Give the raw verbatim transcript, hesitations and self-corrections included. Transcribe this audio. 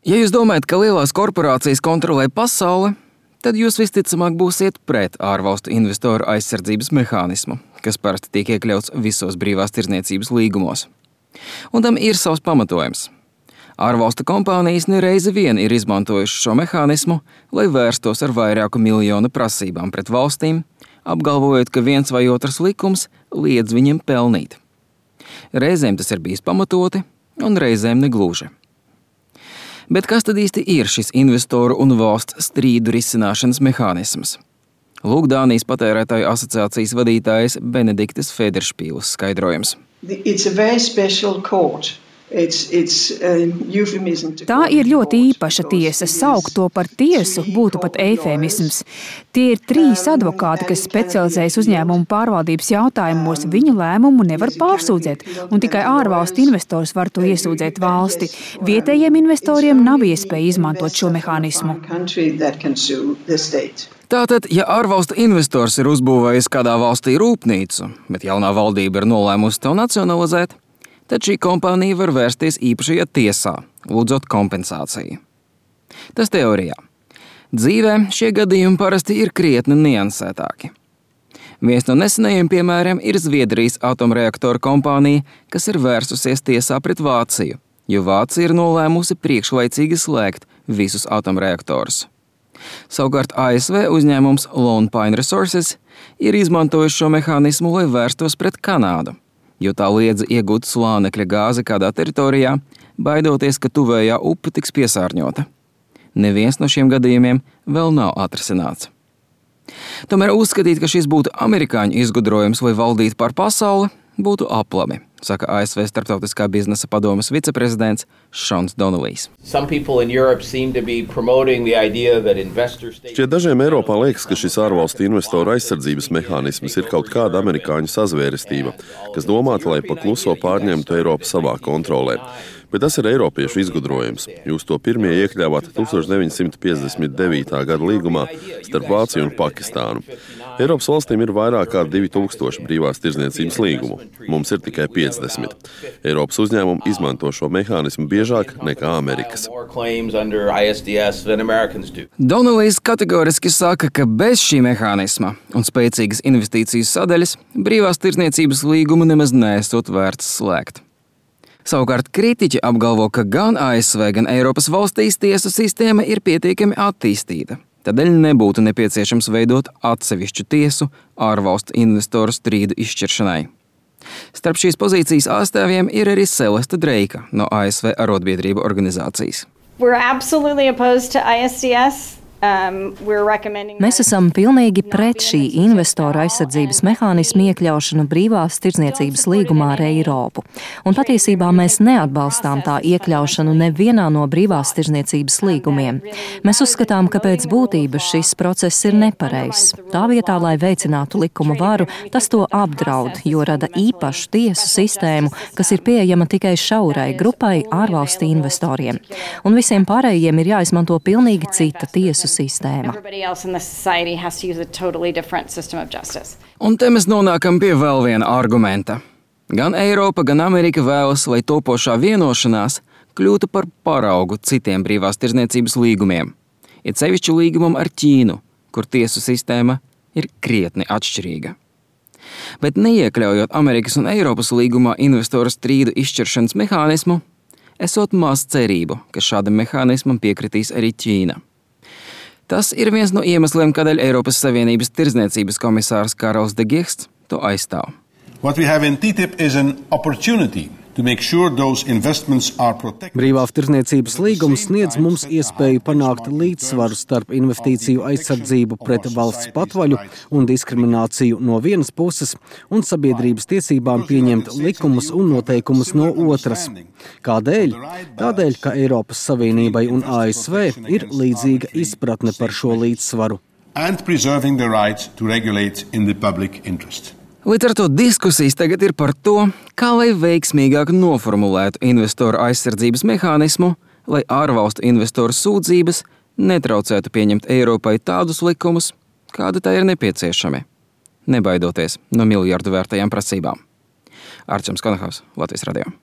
Ja jūs domājat, ka lielās korporācijas kontrolē pasauli, tad jūs visticamāk būsiet pret ārvalstu investoru aizsardzības mehānismu, kas parasti tiek iekļauts visos brīvās tirdzniecības līgumos. Un tam ir savs pamatojums. Ārvalstu kompānijas nereizi vien ir izmantojuši šo mehānismu, lai vērstos ar vairāku miljonu prasībām pret valstīm, apgalvojot, ka viens vai otrs likums liedz viņiem pelnīt. Reizēm tas ir bijis pamatoti, un reizēm negluži. Bet kas tad īsti ir šis investoru un valsts strīdu risināšanas mehānisms? Lūk Dānijas patērētāju asociācijas vadītājas Benediktes Federšpīles skaidrojums. It's a very special court. It's, it's Tā ir ļoti īpaša tiesa. Saukt to par tiesu būtu pat eifemisms. Tie ir trīs advokāti, kas specializējas uzņēmumu pārvaldības jautājumos. Viņu lēmumu nevar pārsūdzēt, un tikai ārvalstu investors var to iesūdzēt valsti. Vietējiem investoriem nav iespēja izmantot šo mehānismu. Tātad, ja ārvalstu investors ir uzbūvējis kādā valstī rūpnīcu, bet jaunā valdība ir nolēmusi to nacionalizēt, tad šī kompānija var vērsties īpašajā tiesā, lūdzot kompensāciju. Tas teorijā. Dzīvē šie gadījumi parasti ir krietni niansētāki. Viens no nesenajiem piemēriem ir Zviedrijas atomreaktoru kompānija, kas ir vērsusies tiesā pret Vāciju, jo Vācija ir nolēmusi priekšlaicīgi slēgt visus atomreaktorus. Savukārt A S V uzņēmums Lone Pine Resources ir izmantojis šo mehānismu, lai vērstos pret Kanādu, jo tā liedza iegūt slānekļa gāzi kādā teritorijā, baidoties, ka tuvējā upe tiks piesārņota. Neviens no šiem gadījumiem vēl nav atrisināts. Tomēr uzskatīt, ka šis būtu amerikāņu izgudrojums, lai valdītu pār pasauli, būtu aplami, saka A S V starptautiskā biznesa padomes viceprezidents Šons Donelijs. Šķiet dažiem Eiropā liekas, ka šis ārvalstu investoru aizsardzības mehānisms ir kaut kāda amerikāņu sazvērestība, kas domāta, lai pa kluso pārņemtu Eiropu savā kontrolē. Bet tas ir eiropiešu izgudrojums. Jūs to pirmie iekļāvāt tusenč deviņi simti piecdesmit devītā gada līgumā starp Vāciju un Pakistānu. Eiropas valstīm ir vairāk kā divi tūkstoši brīvās tirdzniecības līgumu. Mums ir tikai piecdesmit. Eiropas uzņēmumi izmanto šo mehānismu biežāk nekā Amerikas. Donelijs kategoriski saka, ka bez šī mehānisma un spēcīgas investīcijas sadaļas brīvās tirdzniecības līgumu nemaz neesot vērts slēgt. Savukārt kritiķi apgalvo, ka gan A S V, gan Eiropas valstīs tiesu sistēma ir pietiekami attīstīta. Tādēļ nebūtu nepieciešams veidot atsevišķu tiesu ārvalstu investoru strīdu izšķiršanai. Starp šīs pozīcijas ārstāvjiem ir arī Celeste Dreika no A S V arotbiedrību organizācijas. We're absolutely opposed to I S D S. Um, Mēs esam pilnīgi pret šī investoru aizsardzības mehānismu iekļaušanu brīvās tirdzniecības līgumā ar Eiropu. Un patiesībā mēs neatbalstām tā iekļaušanu nevienā no brīvās tirdzniecības līgumiem. Mēs uzskatām, ka pēc būtības šis process ir nepareizs. Tā vietā, lai veicinātu likuma varu, tas to apdraud, jo rada īpašu tiesu sistēmu, kas ir pieejama tikai šaurai grupai ārvalstu investoriem. Un visiem pārējiem ir jāizmanto pilnīgi cita tiesu sistēma. Un te mēs nonākam pie vēl viena argumenta. Gan Eiropa, gan Amerika vēlas, lai topošā vienošanās kļūtu par paraugu citiem brīvās tirdzniecības līgumiem. Ir sevišķi līgumam ar Ķīnu, kur tiesu sistēma ir krietni atšķirīga. Bet neiekļaujot Amerikas un Eiropas līgumā investoru strīdu izšķiršanas mehānismu, esot maz cerību, ka šādam mehānismam piekritīs arī Ķīna. Tas ir viens no iemesliem, kādēļ Eiropas Savienības tirdzniecības komisārs Karls de Gucht to aizstāv. What we have in T T I P is an opportunity to make sure those investments are protected. Brīvās tirdzniecības līgums sniedz mums iespēju panākt līdzsvaru starp investīciju aizsardzību pret valsts patvaļu un diskrimināciju no vienas puses un sabiedrības tiesībām pieņemt likumus un noteikumus no otras. Kādēļ? Tādēļ, ka Eiropas Savienībai un A S V ir līdzīga izpratne par šo līdzsvaru. And preserving the right to regulate in the public interest. Līdz ar to diskusijas tagad ir par to, kā lai veiksmīgāk noformulētu investoru aizsardzības mehānismu, lai ārvalstu investoru sūdzības netraucētu pieņemt Eiropai tādus likumus, kādi tā ir nepieciešami, nebaidoties no miljardu vērtajām prasībām. Arčuns Konahaus, Latvijas radio.